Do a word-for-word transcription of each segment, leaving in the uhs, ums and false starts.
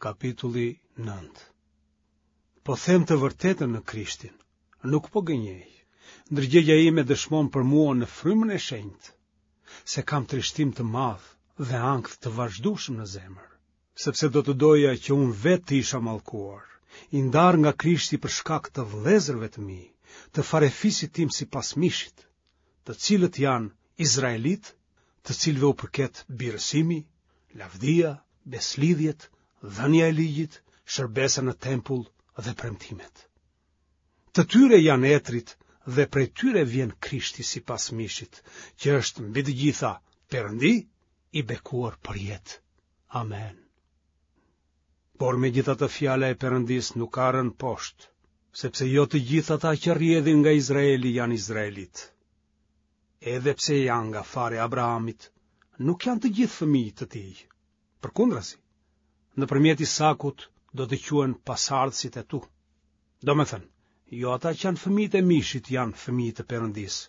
Kapitulli nëntë. Po them të vërtetën në Krishtin, nuk po gënjej. Ndërgjegja ime dëshmon për mua në frymën e shenjtë, se kam trishtim të madh dhe ankth të vazhdueshëm në zemër, sepse do të doja që unë vetë të isha mallkuar, i ndarë nga Krishti për shkak të vëllezërve të mi, të farefisit tim sipas mishit, të cilët janë izraelitë, të cilëve u përket birësimi, lavdia, besëlidhjet, dhënia e ligjit, shërbesa në tempull dhe premtimet. Të tyre janë etërit dhe prej tyre vjen Krishti sipas mishit, që është mbi të gjitha Perëndi i bekuar përjetë. Amen. Por megjithatë fjala e Perëndisë nuk ka rënë poshtë, sepse jo të gjithë ata që rrjedhin nga Izraeli janë izraelitë. Edhe pse janë nga fara e Abrahamit, nuk janë të gjithë fëmijë të tij. Përkundrazi, nëpërmjet Isakut do të quhen pasardhësit e tu. Domethënë, jo ata që janë fëmijët e mishit janë fëmijë të Perëndisë,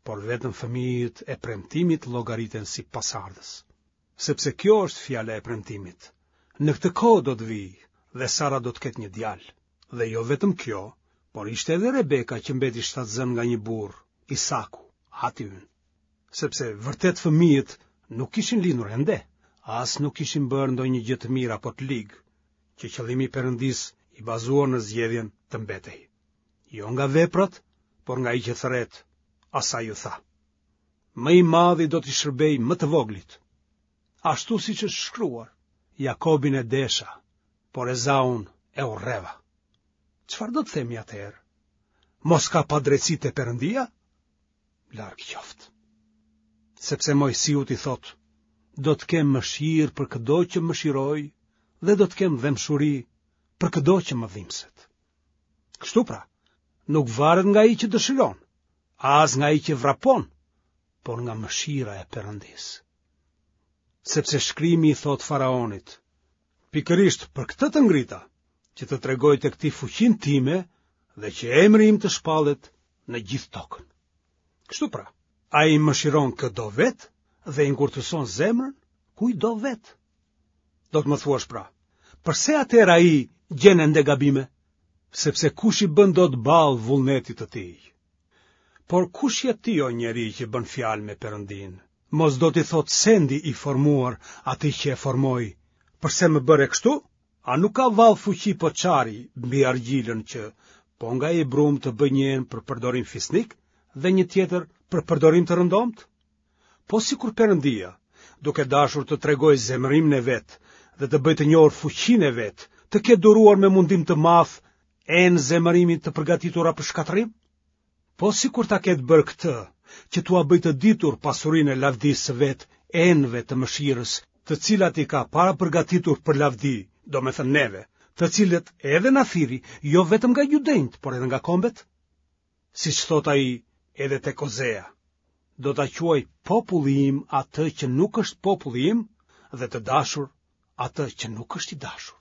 por vetëm fëmijët e premtimit llogariten si pasardhës. Sepse kjo është fjala e premtimit. Në këtë kohë do të vij dhe Sara do të ketë një djalë. Dhe jo vetëm kjo, por ishte edhe Rebeka që mbeti shtatzënë nga një burrë, Isaku, ati ynë. Sepse vërtet fëmijët nuk kishin lindur ende, as nuk kishin bërë ndonjë gjë të mirë apo të ligë, që qëllimi i Perëndisë i bazuar në zgjedhjen të mbetej. Jo nga veprat, por nga ai që thërret, asaj iu tha. Më i madhi do t'i shërbejë më të voglit. Ashtu siç është shkruar, Jakobin e desha, por Ezaun e urreva. Çfarë do të themi atëherë? Mos ka padrejtësi te Perëndia? Larg qoftë. Sepse Moisiut i thotë, do të kem mëshirë për këdo që mëshiroj dhe do të kem dhembshuri për këdo që më dhimbset. Kështu pra, nuk varet nga ai që dëshiron, as nga ai që vrapon, por nga mëshira e Perëndisë. Sepse shkrimi i thotë faraonit, pikërisht për këtë të ngrita, që të tregoj tek ti fuqinë time dhe që emri im të shpallet në gjithë tokën. Kështu pra, ai mëshiron kë do vetë dhe i ngurtëson zemrën kujt do vetë. Do të më thuash pra, përse atëherë ai gjen ende gabime? Sepse kush i bën dot ballë vullnetit të tij? Por kush je ti o njeri që bën fjalë me Perëndinë? Mos do t'i thotë sendi i formuar atij që e formoi, përse më bëre kështu? A nuk ka vallë fuqi poçari mbi argjilën që, po nga ai brumë të bëjë një enë për përdorim fisnik dhe një tjetër për përdorim të rëndomtë? Po sikur Perëndia, duke dashur të tregojë zemërimin e vet dhe të bëjë të njohur fuqinë e vet, të ketë duruar me mundim të madh enë zemërimi të përgatitura për shkatërrim? Po sikur ta ketë bërë këtë, që t'ua bëjë të ditur pasurinë e lavdisë së vet enëve të mëshirës, të cilat i ka parapërgatitur për lavdi, domethënë neve, të cilët edhe na thirri, jo vetëm nga judenjtë, por edhe nga kombet? Siç thotë ai edhe tek Ozea, do ta quaj populli im atë që nuk është populli im dhe të dashur atë që nuk është i dashur.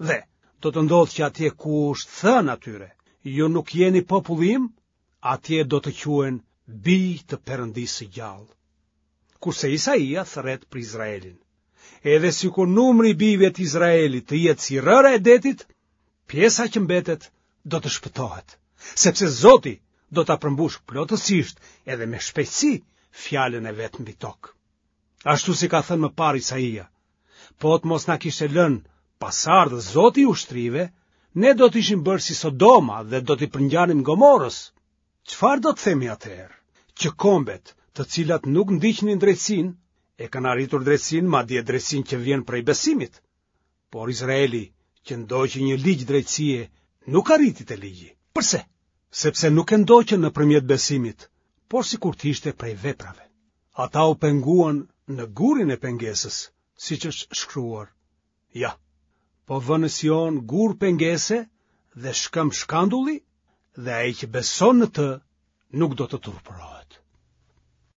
Dhe do të ndodhë që atje ku është thënë atyre, ju nuk jeni populli im, atje do të quhen bij të Perëndisë së gjallë. Kurse Isaia thërret për Izraelin. Edhe sikur numri i bijve të Izraelit të jetë si rëra e detit, pjesa që mbetet do të shpëtohet, sepse Zoti do ta përmbushë plotësisht edhe me shpejtësi fjalën e vet mbi tokë. Ashtu si ka thënë më parë Isaia, po të mos na kishte lënë pasardhës Zoti i ushtrive, ne do të ishim bërë si Sodoma dhe do t'i përngjanim Gomorës. Çfarë do të themi atëherë? Që kombet, të cilat nuk ndiqnin drejtësinë, e kanë arritur drejtësinë, madje drejtësinë që vjen prej besimit. Por Izraeli, që ndoqi një ligj drejtësie, nuk arriti te ligji. Përse? Sepse nuk e ndoqën nëpërmjet besimit, por sikur të ishte prej veprave. Ata u penguan në gurin e pengesës, siç është shkruar. Ja, po vë në Sion gur pengese dhe shkëmb shkandulli, dhe ai që beson në të nuk do të turpërohet.